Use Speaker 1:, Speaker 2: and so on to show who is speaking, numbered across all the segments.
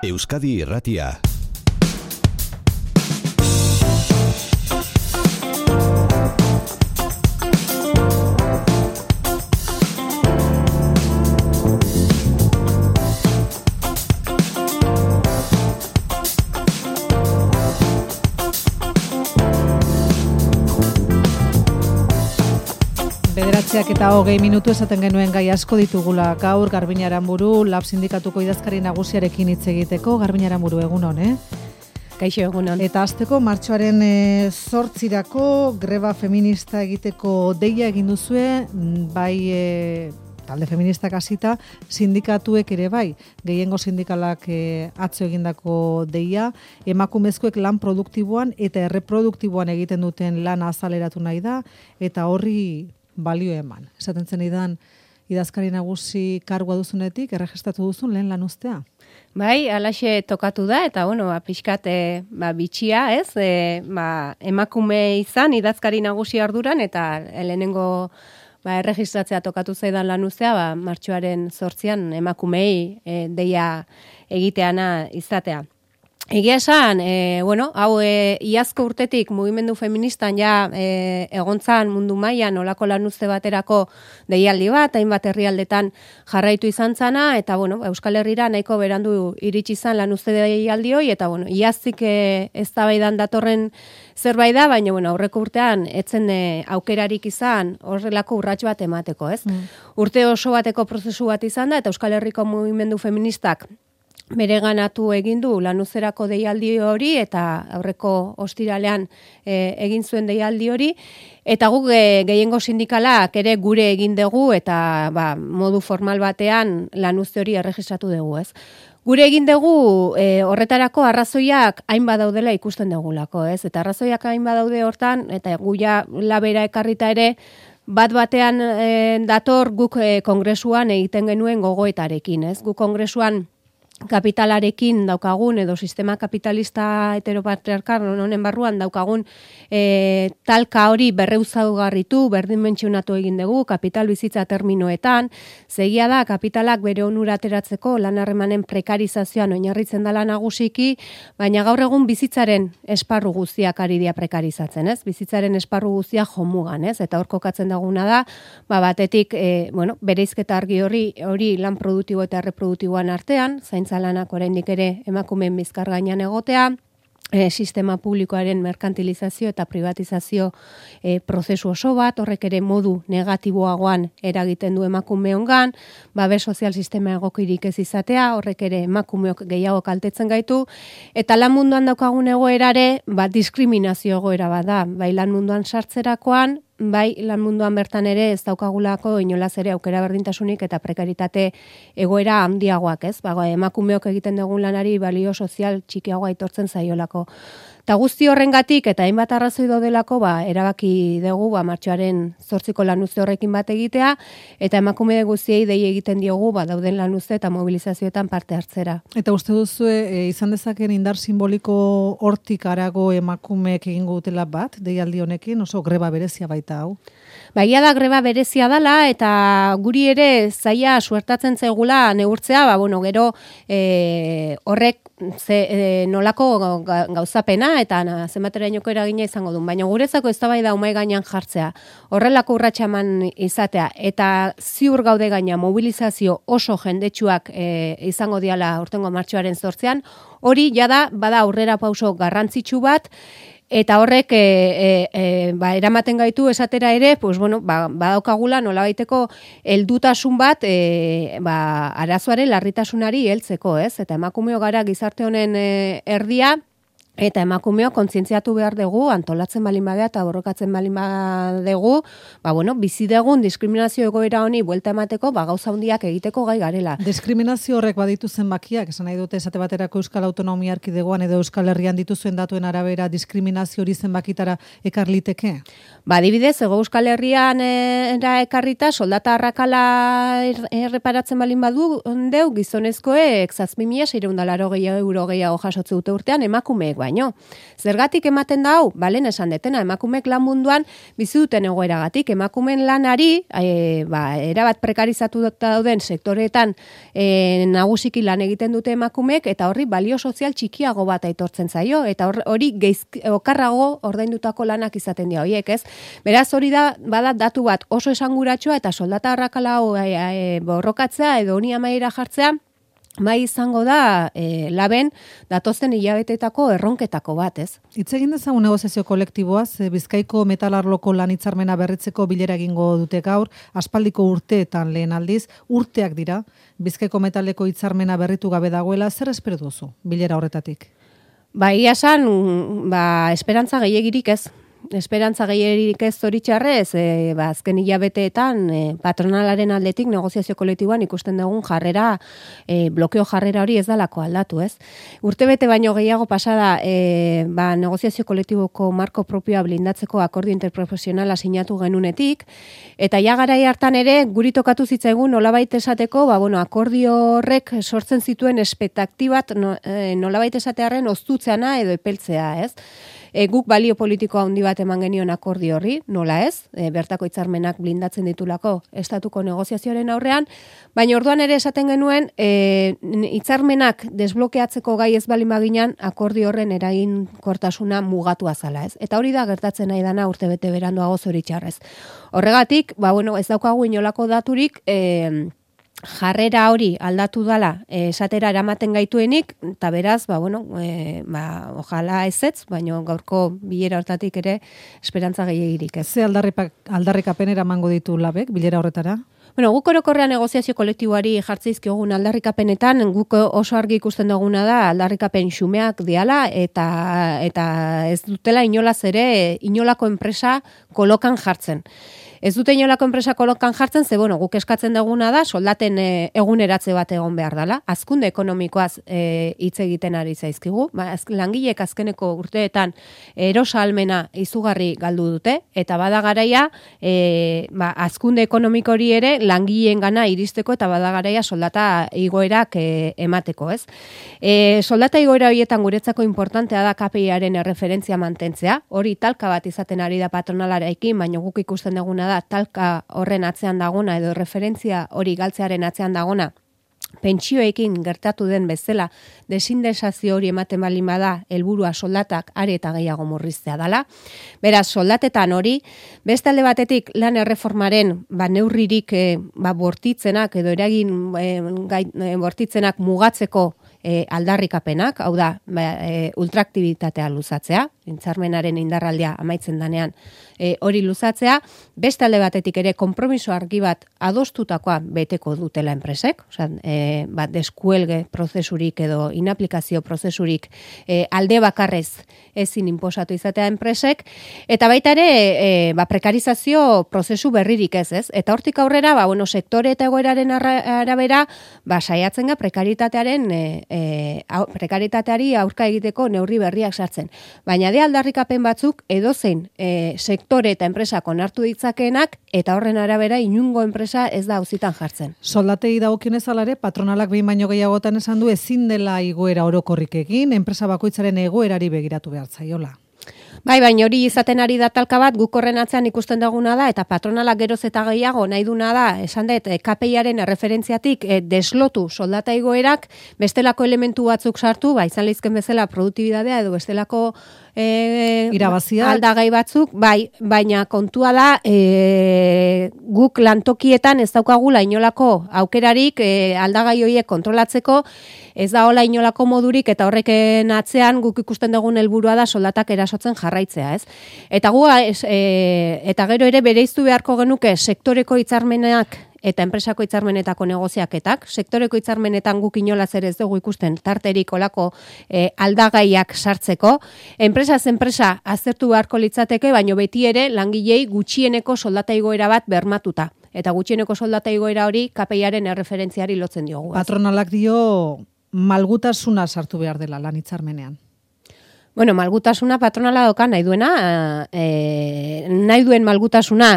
Speaker 1: Euskadi Irratia.
Speaker 2: Bederatziak eta 20 minutu esaten genuen gai asko ditugula gaur Garbiñe Aranburu, Lab Sindikatuko idazkari nagusiarekin hitz egiteko. Garbiñe Aranburu, egunon,
Speaker 3: Kaixo, egunon.
Speaker 2: Eta hasteko martxoaren 8irako greba feminista egiteko deia egin duzue, bai talde feministak hasita, sindikatuek ere bai, gehiengo sindikalak atzo egindako deia, emakumezkoek lan produktiboan eta erreproduktiboan egiten duten lana azaleratu nahi da, eta horri balio eman. Esaten zen idan, idazkari nagusi kargua duzunetik, erregistratu duzun lehen lan ustea?
Speaker 3: Bai, alaxe tokatu da, eta pixkat bitxia, ez? Emakume izan, idazkari nagusi arduran, eta lehenengo erregistratzea tokatu zaidan lan ustea, martxoaren 8an emakumei deia egiteana izatea. Egia esan, hau iazko urtetik mugimendu feministan ja egontzan mundu mailan olako lanuzte baterako deialdi bat, hainbat herrialdetan jarraitu izan zana, eta Euskal Herrira nahiko berandu iritsi izan lanuzte deialdi hoi, eta iaztik eztabaidan datorren zerbait da, baina aurreko urtean etzen aukerarik izan horrelako urrats bat emateko, ez? Urte oso bateko prozesu bat izan da, eta Euskal Herriko mugimendu feministak bereganatu egin du lanuzerako deialdi hori, eta aurreko ostiralean egin zuen deialdi hori, eta guk gehiengo sindikalak ere gure egin dugu, eta modu formal batean lanuzte hori erregistratu dugu, ez? Gure egin dugu horretarako arrazoiak hain badaudela ikusten dugulako, ez? Eta arrazoiak hain badaude hortan, eta guia labera ekarrita ere, batean dator guk kongresuan egiten genuen gogoetarekin, ez? Guk kongresuan kapitalarekin daukagun, edo sistema kapitalista heteropatriarkal honen barruan daukagun talka hori berreuzaugarritu, berdinmentsionatu egin dugu, kapital bizitza terminoetan, zegia da, kapitalak bere onura ateratzeko lan harremanen prekarizazioan oinarritzen dela nagusiki, baina gaur egun bizitzaren esparru guztiak ari dira prekarizatzen, ez? Bizitzaren esparru guztiak jomugan, ez? Eta hor kokatzen daguna da, batetik, bereizketa argi hori lan produktibo eta erreproduktiboan artean, zaintza lanak oraindik ere emakumeen bizkar gainean egotea, sistema publikoaren merkantilizazio eta privatizazio prozesu oso bat, horrek ere modu negatiboagoan eragiten du emakumeongan, babes sozial sistema egokirik ez izatea, horrek ere emakumeok gehiago kaltetzen gaitu, eta lan munduan daukagun egoerare, diskriminazio egoera bat da, bai lan munduan sartzerakoan, bai lan munduan bertan ere ez daukagulako inolaz ere aukera berdintasunik eta prekaritate egoera handiagoak, ez? Emakumeok egiten dugun lanari balio sozial txikiagoa aitortzen zaiolako. Eta guzti horrengatik eta hainbat arrazoi daudelako, erabaki dugu martxoaren 8ko lanuzte horrekin bat egitea, eta emakume guztiei dei egiten diogu dauden lanuzte eta mobilizazioetan parte hartzera.
Speaker 2: Eta uste duzu izan dezaken indar simboliko hortik harago emakumeek egingo dutela bat, deialdi honekin, oso greba berezia baita hau?
Speaker 3: Baia da greba berezia dela, eta guri ere zaila suertatzen zaigula neurtzea, gero horrek nolako gauzapena eta zenbaterainoko eragina izango duen, baina guretzako eztabaida umai gainean jartzea, horrelako urratsa eman izatea, eta ziur gaude gaina mobilizazio oso jendetsuak izango diala aurtengo martxoaren 8an, hori jada bada aurrera pauso garrantzitsu bat, eta horrek eramaten gaitu esatera ere, badaukagula nolabaiteko heldutasun bat arazoaren larritasunari heltzeko, ez? Eta emakumeo gara gizarte honen erdia, eta emakumeo kontzientziatu behar dugu, antolatzen balin bagea eta borrokatzen balin badugu, bizi dugun diskriminazio egoera honi buelta emateko, gauza handiak egiteko gai garela.
Speaker 2: Diskriminazio horrek baditu zenbakiak, esan nahi dute esate baterako Euskal Autonomia Erkidegoan edo Euskal Herrian dituzuen datuen arabera diskriminazio hori zenbakitara ekar liteke?
Speaker 3: Adibidez, Hego Euskal Herrian ekarrita soldata arrakala erreparatzen balin badu deu gizonezkoek 7.680 euro gehiago jasotze dute urtean emakumeek baino. Zergatik ematen da hau? Balen esan detena, emakumeek lan munduan bizi duten egoeragatik, emakumeen lanari, erabat prekarizatu dauden sektoreetan nagusiki lan egiten dute emakumeek, eta horri balio sozial txikiago bat aitortzen zaio, eta hori okarrago ordaindutako lanak izaten dira horiek, ez? Beraz hori da, bada datu bat oso esanguratsua eta soldata arrakala borrokatzea edo honi amaiera jartzea, bai izango da laben datozen hilabeteetako erronketako bat, ez?
Speaker 2: Hitz egin dezagun negoziazio kolektiboaz, Bizkaiko metalarloko lan hitzarmena berritzeko bilera egingo dute gaur, aspaldiko urteetan lehen aldiz, urteak dira, Bizkaiko metaleko hitzarmena berritu gabe dagoela, zer espero duzu bilera horretatik?
Speaker 3: Ia esan, esperantza gehiagirik ez. Esperantza gehierik ez zoritxarrez, azken hilabeteetan patronalaren aldetik negoziazio kolektiboan ikusten dugun jarrera, blokeo jarrera hori ez dalako aldatu, ez? Urtebete baino gehiago pasada negoziazio kolektiboko marko propioa blindatzeko akordio interprofesionala sinatu genunetik, eta ja garai hartan ere guri tokatu zitzaigun nolabait esateko, akordio horrek sortzen zituen espektaktibat nolabait esatearren oztutzeana edo epeltzea, ez? Guk balio politikoa handi bat eman genion akordio horri, nola ez, bertako hitzarmenak blindatzen ditulako estatuko negoziazioaren aurrean, baina orduan ere esaten genuen hitzarmenak desblokeatzeko gai ez bali maginan akordio horren eraginkortasuna mugatua zala, ez? Eta hori da gertatzen nahi dana urtebete beranduago zoritxarrez. Horregatik, ez daukagu inolako daturik jarrera hori aldatu dala esatera eramaten gaituenik, eta beraz, ojala ezetz, baina gaurko bilera hortatik ere esperantza gehiegirik ez.
Speaker 2: Ze aldarrikapenera emango ditu labek bilera horretara?
Speaker 3: Guk orokorrean negoziazio kolektiboari jartzeizkiogun aldarrikapenetan, guk oso argi ikusten duguna da aldarrikapen xumeak diala eta ez dutela inolaz ere inolako enpresa kolokan jartzen. Ez dute inolako enpresa kolokan jartzen, guk eskatzen duguna da, soldaten eguneratze bat egon behar dela. Hazkunde ekonomikoaz hitz egiten ari zaizkigu. Langileek azkeneko urteetan erosalmena izugarri galdu dute, eta bada garaia hazkunde ekonomiko hori ere langileen gana iristeko, eta bada garaia soldata igoerak emateko, ez? Soldata igoera horietan guretzako importantea da KPIaren erreferentzia mantentzea. Hori talka bat izaten ari da patronalarekin, baina guk ikusten duguna da talka horren atzean dagona edo referentzia hori galtzearen atzean dagona pentsioekin gertatu den bezala desindexazio hori ematen baldin bada helburua soldatak are eta gehiago murriztea dela. Beraz, soldatetan hori, beste alde batetik lan erreformaren neurririk bortitzenak edo eragin bortitzenak mugatzeko aldarrikapenak, hau da, ultraaktibitatea luzatzea, hitzarmenaren indarraldia amaitzen danean hori luzatzea, beste alde batetik ere konpromiso argi bat adostutakoa beteko dutela enpresek, deskuelge prozesurik edo inaplikazio prozesurik alde bakarrez ezin inposatu izatea enpresek, eta baita ere prekarizazio prozesu berririk ez, eta hortik aurrera, sektore eta egoeraren arabera, saiatzen ga prekaritateari aurka egiteko neurri berriak sartzen. Baina de aldarrikapen batzuk edozein sektore eta enpresak onartu ditzakeenak, eta horren arabera inungo enpresa ez da auzitan jartzen.
Speaker 2: Soldatei dagokionez alare, patronalak behin baino gehiagotan esan du ezin dela igoera orokorrik egin, enpresa bakoitzaren egoerari begiratu behar zaiola.
Speaker 3: Baina hori izaten ari da talka bat, guk horren atzean ikusten duguna da, eta patronalak geroz eta gehiago nahi duna da, esan dut, KPIaren erreferentziatik deslotu soldata igoerak, bestelako elementu batzuk sartu, izan lehizken bezala produktibidadea edo bestelako
Speaker 2: irabazia
Speaker 3: aldagai batzuk, baina kontua da guk lantokietan ez daukagula inolako aukerarik aldagai horiek kontrolatzeko, ez da hola inolako modurik, eta horreken atzean guk ikusten dugun helburua da soldatak erasotzen jarraitzea, ez? Eta eta gero ere bereiztu beharko genuke sektoreko hitzarmenak eta enpresako hitzarmenetako negoziaketak. Sektoreko hitzarmenetan guk inolaz ere ez dugu ikusten tarterik olako aldagaiak sartzeko. Enpresaz enpresa aztertu beharko litzateke, baino beti ere langilei gutxieneko soldata igoera bat bermatuta. Eta gutxieneko soldata igoera hori KPIaren erreferentziari lotzen diogu.
Speaker 2: Patronalak dio malgutasuna sartu behar dela lan hitzarmenean.
Speaker 3: Bueno, malgutasuna patronala doka nahi duena, nahi duen malgutasuna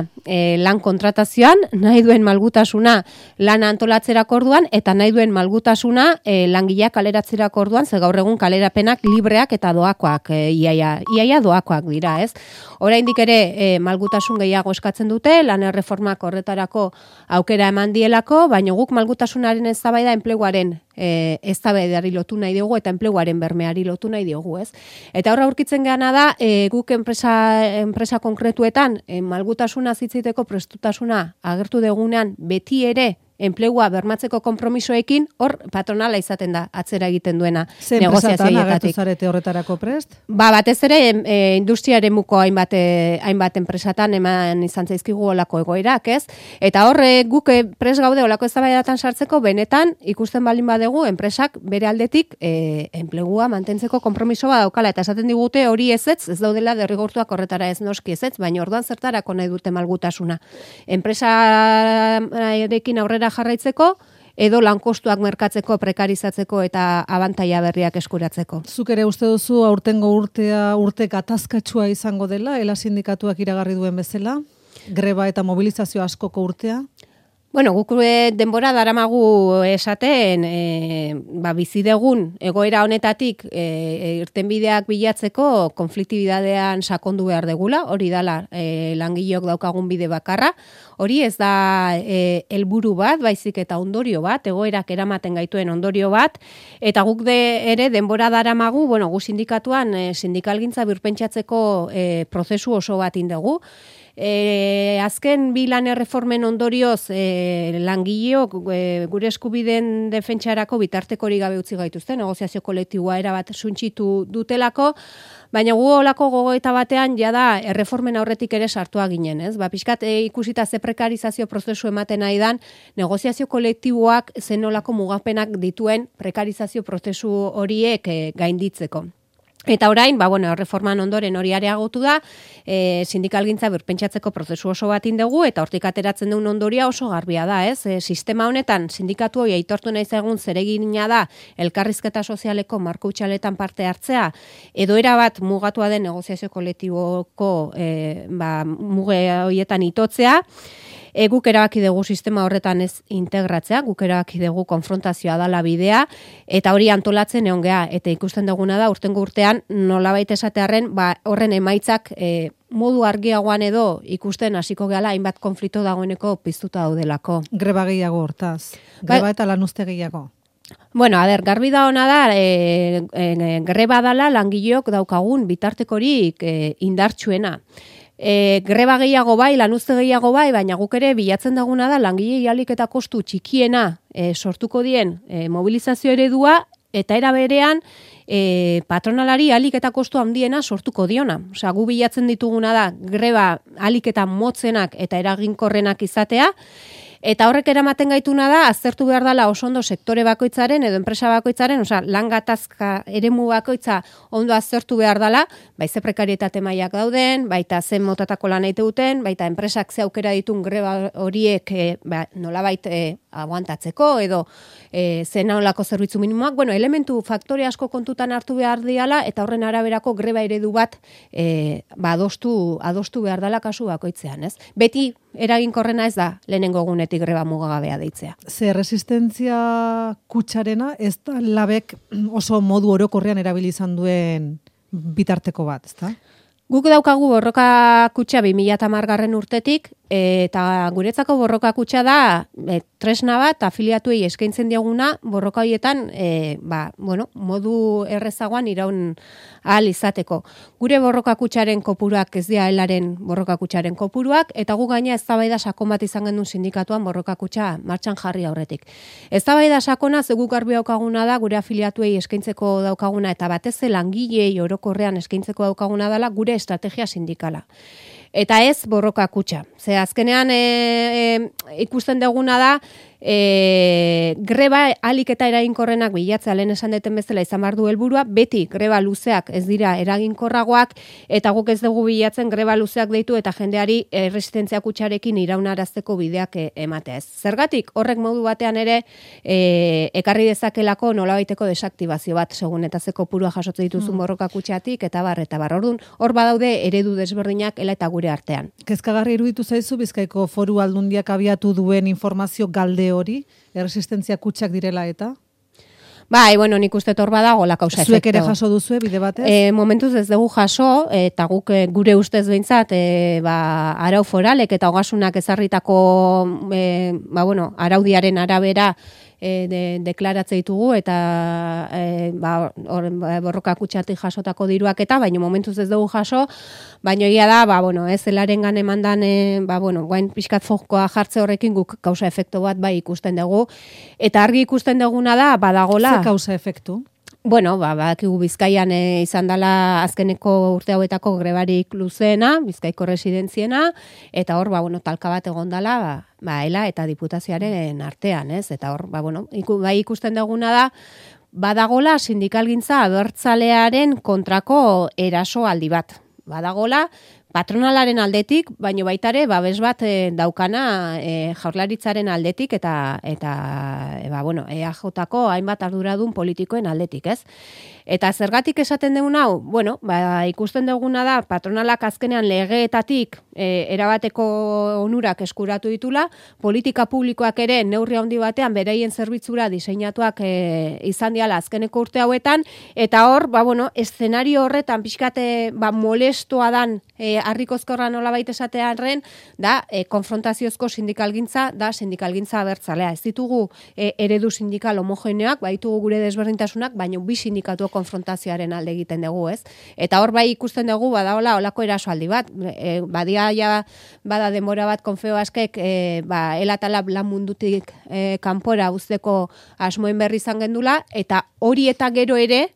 Speaker 3: lan kontratazioan, nahi duen malgutasuna lan antolatzerako orduan, eta nahi duen malgutasuna langileak kaleratzerako orduan, ze gaur egun kalerapenak libreak eta doakoak, iaia doakoak dira, ez? Oraindik ere malgutasun gehiago eskatzen dute, lan erreformak horretarako aukera eman dielako, baina guk malgutasunaren eztabaida enpleguaren eztabaidari lotu nahi diogu eta enpleguaren bermeari lotu nahi diogu, ez? Eta horra aurkitzen geana da, guk enpresa konkretuetan malgutasuna zitziteko prestutasuna agertu degunean beti ere enplegua bermatzeko konpromisoekin, hor patronala izaten da atzera egiten duena negoziazioetatik.
Speaker 2: Ze enpresatan agertu zarete horretarako prest?
Speaker 3: Batez ere industria eremuko hainbat enpresatan eman izan zaizkigu olako egoerak, ez? Eta hor guk prest gaude olako eztabaidatan sartzeko, benetan ikusten baldin badegu enpresak bere aldetik enplegua mantentzeko konpromisoa daukala, eta esaten digute hori ez daudela derrigortuak horretara ez noski ez, baina orduan zertarako nahi dute malgutasuna. Enpresarekin aurrera jarraitzeko, edo lankostuak merkatzeko, prekarizatzeko eta abantaila berriak eskuratzeko.
Speaker 2: Zuk ere uste duzu aurtengo urte gatazkatsua izango dela, ELA sindikatuak iragarri duen bezala, greba eta mobilizazio askoko urtea?
Speaker 3: Bueno, guk denbora daramagu esaten, bizi dugun egoera honetatik irtenbideak bilatzeko konfliktibidadean sakondu behar degula, hori dala langileok daukagun bide bakarra, hori ez da helburu bat, baizik eta ondorio bat, egoerak eramaten gaituen ondorio bat, eta guk ere denbora daramagu, bueno, gu sindikatuan sindikalgintza birpentsatzeko prozesu oso bat indegu. Azken bi lan erreformen ondorioz langileok gure eskubideen defentsarako bitartekori gabe utzi gaituzte, negoziazio kolektiboa erabat suntsitu dutelako, baina gu olako gogoeta batean jada erreformen aurretik ere sartua ginen, ez? Pixkat ikusita ze prekarizazio prozesu ematen nahi dan, negoziazio kolektiboak zen olako mugapenak dituen prekarizazio prozesu horiek gainditzeko. Eta orain, erreforman ondoren hori areagotu da, sindikalgintza birpentsatzeko prozesu oso bat indegu, eta hortik ateratzen duen ondoria oso garbia da, ez? Sistema honetan, sindikatu hori aitortu nahi egun zeregina da, elkarrizketa sozialeko marko utxaletan parte hartzea, edo erabat mugatua den negoziazio kolektiboko muge horietan itotzea, guk erabaki dugu sistema horretan ez integratzea, guk erabaki dugu konfrontazioa dala bidea, eta hori antolatzen egon geha, eta ikusten duguna da, urtengo urtean nolabait esatearren, horren emaitzak modu argiagoan edo ikusten hasiko gehala hainbat konflikto dagoeneko piztuta daudelako.
Speaker 2: Greba gehiago hortaz, greba eta lanuzte gehiago.
Speaker 3: Bueno, garbi da ona da, greba dala langileok daukagun bitartekorik indartsuena. Greba gehiago bai, lanuzte gehiago bai, baina guk ere bilatzen daguna da langile ahalik eta kostu txikiena sortuko dien mobilizazio eredua, eta era berean patronalari ahalik eta kostu handiena sortuko diona. Osea, gu bilatzen dituguna da greba ahalik eta motzenak eta eraginkorrenak izatea, eta horrek eramaten gaituna da, aztertu behar dela oso ondo sektore bakoitzaren edo enpresa bakoitzaren, osea, lan gatazka eremu bakoitza ondo aztertu behar dela, ze prekarietate mailak dauden, baita zen motatako lan egite duten, baita enpresak ze aukera ditun greba horiek nolabait aguantatzeko edo zen nolako zerbitzu minimoak, elementu faktore asko kontutan hartu behar diala, eta horren araberako greba eredu bat adostu behar dela kasu bakoitzean, ez? Beti eraginkorrena ez da lehenengo egunetik greba mugagabea deitzea.
Speaker 2: Ze resistentzia kutxarena ez da labek oso modu orokorrean erabili izan duen bitarteko bat, ezta?
Speaker 3: Guk daukagu borroka kutxa 2010 urtetik, eta guretzako borroka kutxa da tresna bat afiliatuei eskaintzen dioguna borroka horietan modu errezagoan iraun ahal izateko. Gure borroka kutxaren kopuruak ez dira elaren borroka kutxaren kopuruak, eta gu gaina eztabaida sakon bat izan genuen sindikatuan borroka kutxa martxan jarri aurretik. Eztabaida sakona guk garbi daukaguna da gure afiliatuei eskaintzeko daukaguna, eta batez langilei orokorrean eskaintzeko daukaguna dela gure estrategia sindikala. Eta ez borroka kutxa. Ze azkenean ikusten duguna da, greba alik eta eraginkorrenak bilatzea lehen esan deten bezala izan behar du helburua, beti greba luzeak ez dira eraginkorragoak, eta guk ez dugu bilatzen greba luzeak deitu eta jendeari resistentzia kutxarekin iraunarazteko bideak ematea ez. Zergatik, horrek modu batean ere ekarri dezakelako nolabaiteko desaktibazio bat, segun eta ze kopurua jasotzen dituzun borroka kutxatik, eta bar. Orduan, hor badaude eredu desberdinak ela eta gure artean.
Speaker 2: Kezkagarri iruditu zaizu Bizkaiko Foru Aldundiak abiatu duen informazio galde hori, erresistentzia kutxak direla eta?
Speaker 3: Bai, bueno, nik uste hor badago la causa efecto.
Speaker 2: Zuek ere jaso duzue bide batez?
Speaker 3: Momentuz ez dugu jaso, eta guk gure ustez behintzat, arau foralek eta ogasunak ezarritako araudiaren arabera deklaratze ditugu eta borroka kutxatik jasotako diruak eta, baina momentuz ez dugu jaso, baina egia da, zelarengan emandan, guain pixkat fokoa jartze horrekin guk kausa efektu bat bai ikusten dugu, eta argi ikusten duguna da, badagola.
Speaker 2: Ze kausa efektu?
Speaker 3: Badakigu Bizkaian izan dela azkeneko urte hauetako grebarik luzeena, Bizkaiko residentziena, eta hor, talka bat egon dela, ela eta diputazioaren artean, ez? Eta hor, bai ikusten duguna da, badagola sindikalgintza abertzalearen kontrako erasoaldi bat. Badagola, patronalaren aldetik, baino baita ere babes bat daukana Jaurlaritzaren aldetik eta EAJko hainbat arduradun politikoen aldetik, ez? Eta zergatik esaten dugun hau, ikusten duguna da patronalak azkenean legeetatik erabateko onurak eskuratu ditula, politika publikoak ere neurri handi batean beraien zerbitzura diseinatuak izan diala azkeneko urte hauetan, eta hor, eszenario horretan pixkate molestoa dan harrikozkorra nolabait esatearren, da konfrontaziozko sindikalgintza, da sindikalgintza abertzalea. Ez ditugu eredu sindikal homogeneoak, baitugu gure desberdintasunak, baina bi sindikatu konfrontazioaren alde egiten dugu, ez? Eta hor bai ikusten dugu, badaola olako erasoaldi bat, bada denbora bat Confebaskek elatala lan mundutik kanpora uzteko asmoen berri izan gendula, eta hori eta gero ere,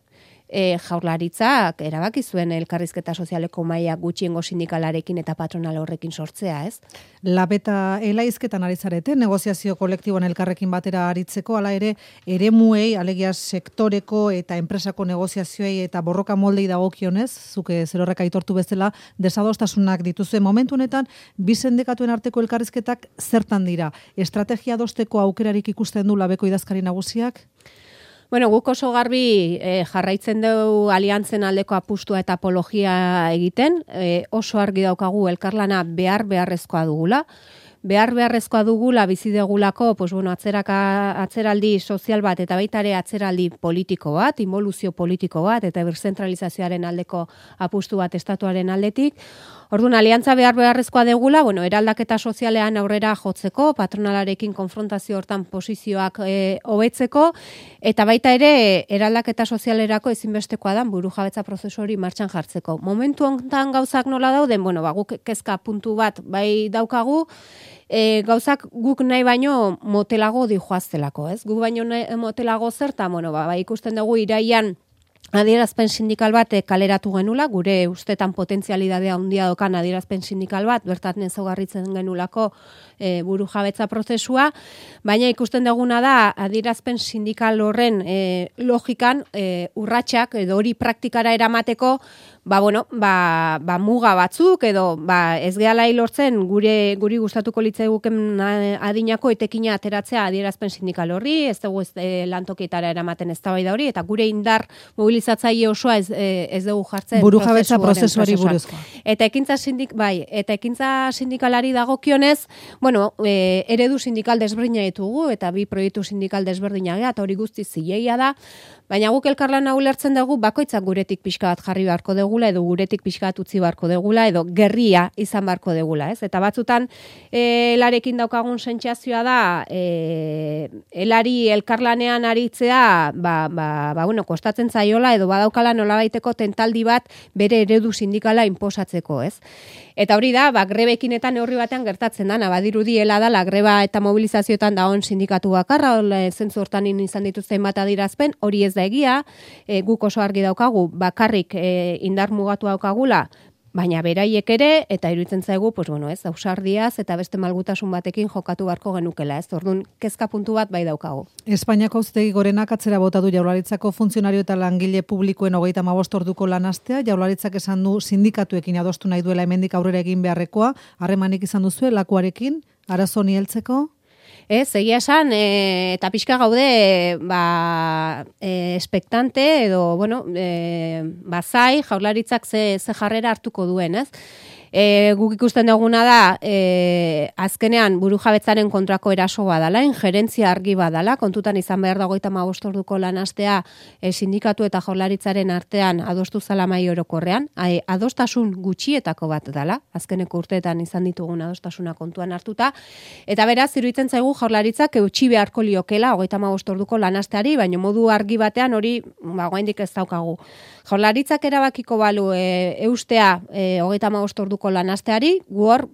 Speaker 3: Jaurlaritzak erabaki zuen elkarrizketa sozialeko maila gutxiengo sindikalarekin eta patronal horrekin sortzea, ez?
Speaker 2: Lab eta elaizketan ari zarete, negoziazio kolektiboan elkarrekin batera aritzeko, hala ere, eremuei, alegia sektoreko eta enpresako negoziazioei eta borroka moldei dagokionez, zuke zerorrek aitortu bezala, desadostasunak dituzue momentu honetan, bi sindikatuen arteko elkarrizketak zertan dira? Estrategia adosteko aukerarik ikusten du labeko idazkari nagusiak?
Speaker 3: Guk oso garbi jarraitzen dugu aliantzen aldeko apustua eta apologia egiten, oso argi daukagu elkarlana beharrezkoa dugula. Beharrezkoa dugula bizi degulako, atzeraldi sozial bat eta baita ere atzeraldi politiko bat, involuzio politiko bat eta birzentralizazioaren aldeko apustu bat estatuaren aldetik. Orduan, aliantza beharrezkoa degula, eraldaketa sozialean aurrera jotzeko, patronalarekin konfrontazio hortan posizioak hobetzeko, eta baita ere, eraldaketa sozialerako ezinbestekoa da burujabetza prozesu hori martxan jartzeko. Momentu honetan gauzak nola dauden, guk kezka puntu bat bai daukagu, gauzak guk nahi baino motelago dijoaztelako, ez? Guk baino motelago zerta, ikusten dugu iraian adierazpen sindikal bat kaleratu genula, gure ustetan potentzialidadea handia dokan adierazpen sindikal bat, bertan ezaugarritzen genulako burujabetza prozesua, baina ikusten duguna da adierazpen sindikal horren logikan urratsak edo hori praktikara eramateko muga batzuk edo ez gehala lortzen guri gustatuko litzaiguken adinako etekina ateratzea adierazpen sindikal horri, ez dugu lantokietara eramaten eztabaida hori, eta gure indar mobilizatzaile osoa ez dugu jartzen
Speaker 2: burujabetza prozesuari buruzkoa.
Speaker 3: Eta ekintza sindikalari dagokionez, eredu sindikal desberdina ditugu eta bi proiektu sindikal desberdina eta hori guzti zilegia da, baina guk elkarlana ulertzen dugu bakoitzak guretik pixka bat jarri beharko degula edo guretik pixka bat utzi beharko degula edo gerria izan beharko degula, ez? Eta batzutan elarekin daukagun sentsazioa da elari elkarlanean aritzea kostatzen zaiola edo badaukala nolabaiteko tentaldi bat bere eredu sindikala inposatzeko, ez? Eta hori da, grebekin eta neurri batean gertatzen da, badirudi hela dala greba eta mobilizazioetan dagoen sindikatu bakarra, zentzu hortan izan dituzten bat adirazpen, hori ez da egia, guk oso argi daukagu, bakarrik indar mugatu daukagula, baina beraiek ere, eta iruditzen zaigu, pues bueno, ez, ausardiaz eta beste malgutasun batekin jokatu beharko genukela, ez? Orduan, kezka puntu bat bai daukagu.
Speaker 2: Espainiako Auzitegi Gorenak atzera bota du Jaurlaritzako funtzionario eta langile publikoen 35 orduko lanastea. Jaurlaritzak esan du sindikatuekin adostu nahi duela hemendik aurrera egin beharrekoa. Harremanik izan duzue lakuarekin, arazo honi heltzeko?
Speaker 3: Ez, egia esan, eta pixka gaude, espektante edo, bueno, zai, Jaurlaritzak ze jarrera hartuko duen, ez? Guk ikusten duguna da, azkenean burujabetzaren kontrako erasoa dala, injerentzia argi badala, kontutan izan behar da 35 orduko lanastea sindikatu eta Jaurlaritzaren artean adostu zala mahai orokorrean, adostasun gutxietako bat dala, azkeneko urteetan izan ditugun adostasuna kontuan hartuta, eta beraz, iruditzen zaigu Jaurlaritzak eutxi beharko liokela 35 orduko lanasteari, baina modu argi batean hori, oraindik ez daukagu. Jaurlaritzak erabakiko balu eustea 35 orduko lanasteari, gu hor,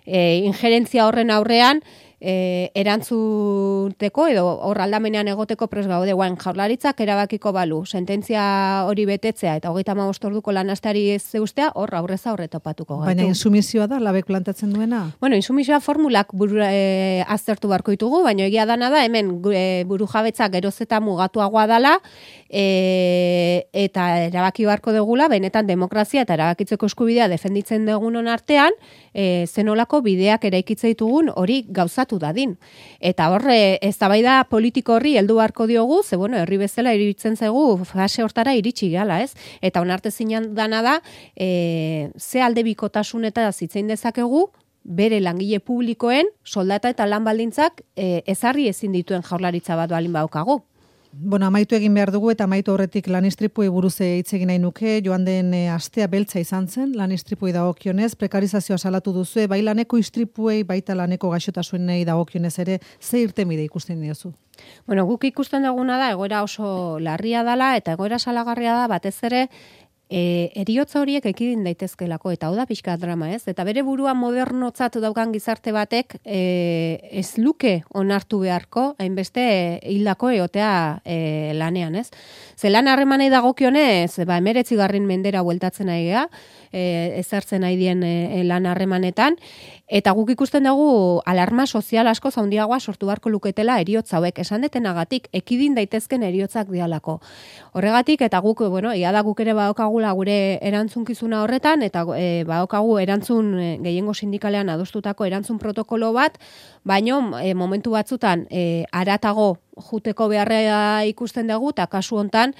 Speaker 3: injerentzia horren aurrean, erantzuteko edo hor aldamenean egoteko pres gaude, Jaurlaritzak erabakiko balu sententzia hori betetzea eta 35 orduko lanasteari ez zeustea, hor aurrez aurre topatuko gaitu.
Speaker 2: Baina insumizioa da, labek plantatzen duena?
Speaker 3: Bueno, insumizioa formulak aztertu beharko ditugu, baina egia dana da, hemen burujabetza geroz eta mugatuagoa dala, eta erabaki beharko dugula, benetan demokrazia eta erabakitzeko eskubidea defenditzen dugunon artean, zenolako bideak eraikitze ditugun hori gauzatu dadin. Eta horre, eztabaida politiko horri heldu beharko diogu, ze bueno, herri bezala iruditzen zaigu fase hortara iritsi gala, ez? Eta onartezinan dana da, ze aldebikotasun eta zitzein dezakegu, bere langile publikoen soldata eta lan baldintzak ezarri ezin dituen Jaurlaritza bat balin badaukagu.
Speaker 2: Bueno, amaitu egin behar dugu eta amaitu horretik lanistripuei buruz hitz egin nahi nuke. Joan den astea beltza izan zen, lanistripuei dagokionez, prekarizazioa salatu duzu, bai laneko istripuei, baita laneko gaixotasunei dagokionez ere, ze irtenbide ikusten diozu?
Speaker 3: Bueno, guk ikusten duguna da, egoera oso larria dala, eta egoera salagarria da, batez ere, eriotza horiek ekidin daitezkelako, eta hau da pixka drama, ez? Eta bere burua modernotzat daukan gizarte batek ez luke onartu beharko, hainbeste hildako eotea lanean, ez? Ze lan harremanei dagokionez, 19. mendera bueltatzen nahi gea, ezartzen nahi dien lan harremanetan, eta guk ikusten dugu alarma sozial asko zaundiagoa sortu beharko luketela eriotza hauek, esan detenagatik, ekidin daitezken eriotzak dialako. Horregatik, eta guk, bueno, ia da guk ere badokagula gure erantzunkizuna horretan, eta badokagu erantzun gehiengo sindikalean adostutako erantzun protokolo bat, baino momentu batzutan haratago juteko beharra ikusten dugu, eta kasu hontan,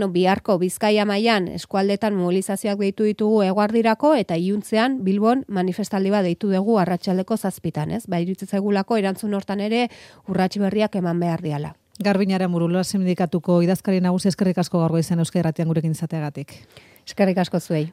Speaker 3: biharko Bizkaia mailan eskualdetan mobilizazioak deitu ditugu eguardirako, eta iluntzean Bilbon manifestaldi bat deitu dugu arratsaldeko 7:00, ez? Iruditzen zaigulako erantzun hortan ere urrats berriak eman behar diala.
Speaker 2: Garbiñe Aramurua sindikatuko idazkari nagusi, eskerrik asko gaur goizen Euskadi Irratian gurekin izateagatik.
Speaker 3: Eskerrik asko zuei.